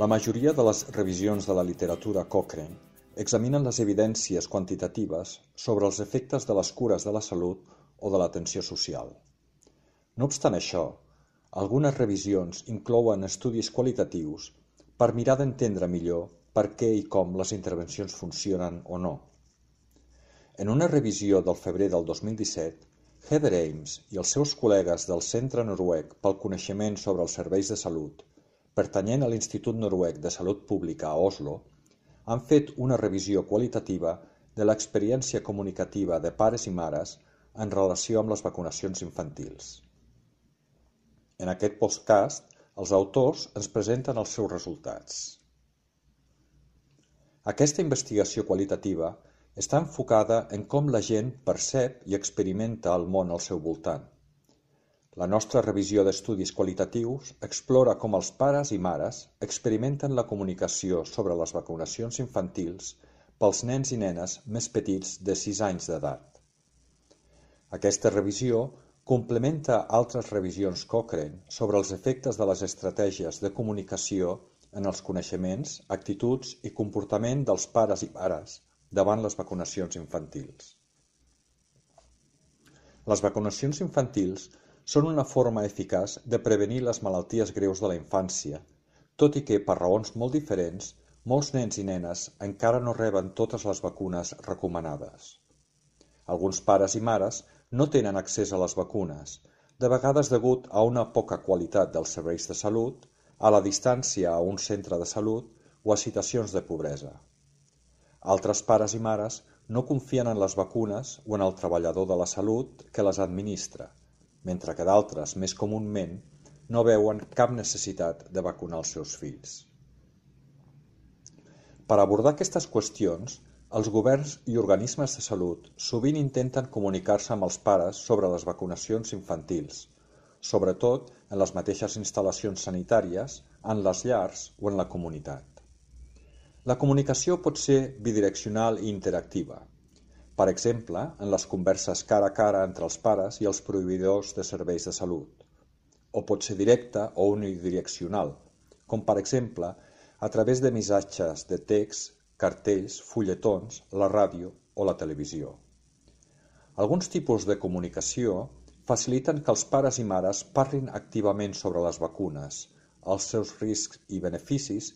La majoria de les revisions de la literatura Cochrane examinen les evidències quantitatives sobre els efectes de les cures de la salut o de l'atenció social. No obstant això, algunes revisions inclouen estudis qualitatius per mirar d'entendre millor per què i com les intervencions funcionen o no. En una revisió del febrer del 2017, Heather Ames i els seus col·legues del Centre Noruec pel Coneixement sobre els Serveis de Salut, pertanyent a l'Institut Noruec de Salut Pública a Oslo, han fet una revisió qualitativa de l'experiència comunicativa de pares i mares en relació amb les vacunacions infantils. En aquest podcast, els autors ens presenten els seus resultats. Aquesta investigació qualitativa està enfocada en com la gent percep i experimenta el món al seu voltant. La nostra revisió d'estudis qualitatius explora com els pares i mares experimenten la comunicació sobre les vacunacions infantils pels nens i nenes més petits de 6 anys d'edat. Aquesta revisió complementa altres revisions Cochrane sobre els efectes de les estratègies de comunicació en els coneixements, actituds i comportament dels pares i mares davant les vacunacions infantils. Les vacunacions infantils són una forma eficaç de prevenir les malalties greus de la infància, tot i que, per raons molt diferents, molts nens i nenes encara no reben totes les vacunes recomanades. Alguns pares i mares no tenen accés a les vacunes, de vegades degut a una poca qualitat dels serveis de salut, a la distància a un centre de salut o a situacions de pobresa. Altres pares i mares no confien en les vacunes o en el treballador de la salut que les administra, mentre que d'altres, més comúment, no veuen cap necessitat de vacunar els seus fills. Per abordar aquestes qüestions, els governs i organismes de salut sovint intenten comunicar-se amb els pares sobre les vacunacions infantils, sobretot en les mateixes instal·lacions sanitàries, en les llars o en la comunitat. La comunicació pot ser bidireccional i interactiva, per exemple, en les converses cara a cara entre els pares i els proveïdors de serveis de salut, o pot ser directa o unidireccional, com per exemple a través de missatges de text, cartells, fulletons, la ràdio o la televisió. Alguns tipus de comunicació faciliten que els pares i mares parlin activament sobre les vacunes, els seus riscs i beneficis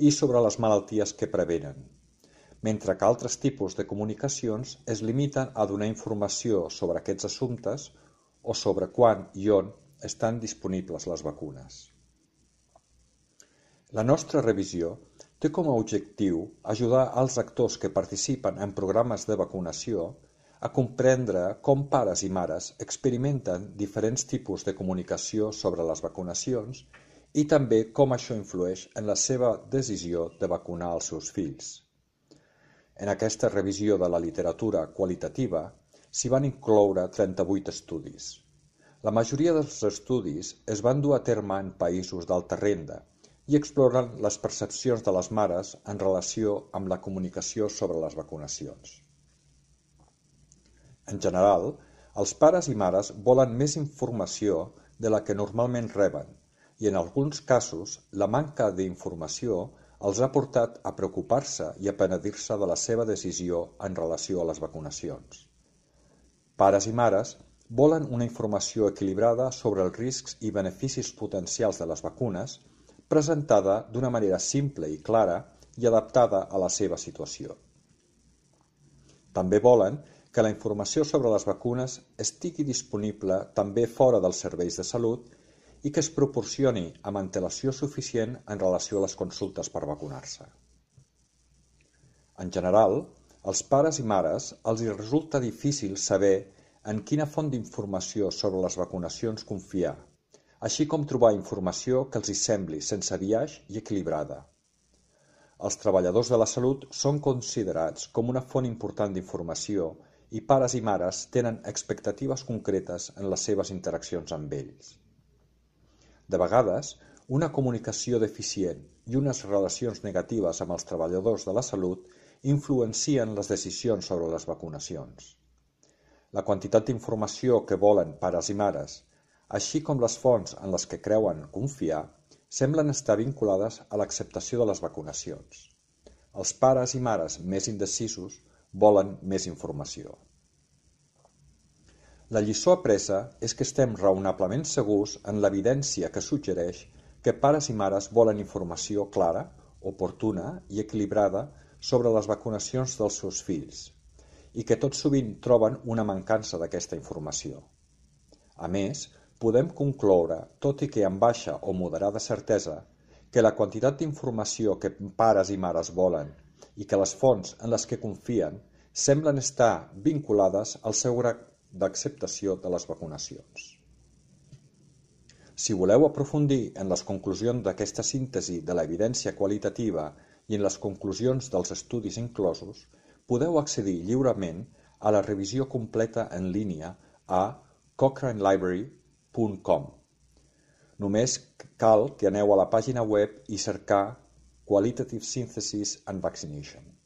i sobre les malalties que prevenen, mentre que altres tipus de comunicacions es limiten a donar informació sobre aquests assumptes o sobre quan i on estan disponibles les vacunes. La nostra revisió té com a objectiu ajudar als actors que participen en programes de vacunació a comprendre com pares i mares experimenten diferents tipus de comunicació sobre les vacunacions i també com això influeix en la seva decisió de vacunar els seus fills. En aquesta revisió de la literatura qualitativa s'hi van incloure 38 estudis. La majoria dels estudis es van dur a terme en països d'alta renda i exploren les percepcions de les mares en relació amb la comunicació sobre les vacunacions. En general, els pares i mares volen més informació de la que normalment reben i en alguns casos la manca d'informació els ha portat a preocupar-se i a penedir-se de la seva decisió en relació a les vacunacions. Pares i mares volen una informació equilibrada sobre els riscs i beneficis potencials de les vacunes, presentada d'una manera simple i clara i adaptada a la seva situació. També volen que la informació sobre les vacunes estigui disponible també fora dels serveis de salut i que es proporcioni amb antelació suficient en relació a les consultes per vacunar-se. En general, als pares i mares els hi resulta difícil saber en quina font d'informació sobre les vacunacions confiar, així com trobar informació que els hi sembli sense biaix i equilibrada. Els treballadors de la salut són considerats com una font important d'informació i pares i mares tenen expectatives concretes en les seves interaccions amb ells. De vegades, una comunicació deficient i unes relacions negatives amb els treballadors de la salut influencien les decisions sobre les vacunacions. La quantitat d'informació que volen pares i mares, així com les fonts en les que creuen confiar, semblen estar vinculades a l'acceptació de les vacunacions. Els pares i mares més indecisos volen més informació. La lliçó apresa és que estem raonablement segurs en l'evidència que suggereix que pares i mares volen informació clara, oportuna i equilibrada sobre les vacunacions dels seus fills, i que tot sovint troben una mancança d'aquesta informació. A més, podem concloure, tot i que amb baixa o moderada certesa, que la quantitat d'informació que pares i mares volen i que les fonts en les que confien semblen estar vinculades al seu grau d'acceptació de les vacunacions. Si voleu aprofundir en les conclusions d'aquesta síntesi de l'evidència qualitativa i en les conclusions dels estudis inclosos, podeu accedir lliurement a la revisió completa en línia a cochranelibrary.com. Només cal que aneu a la pàgina web i cercar Qualitative Synthesis and Vaccination.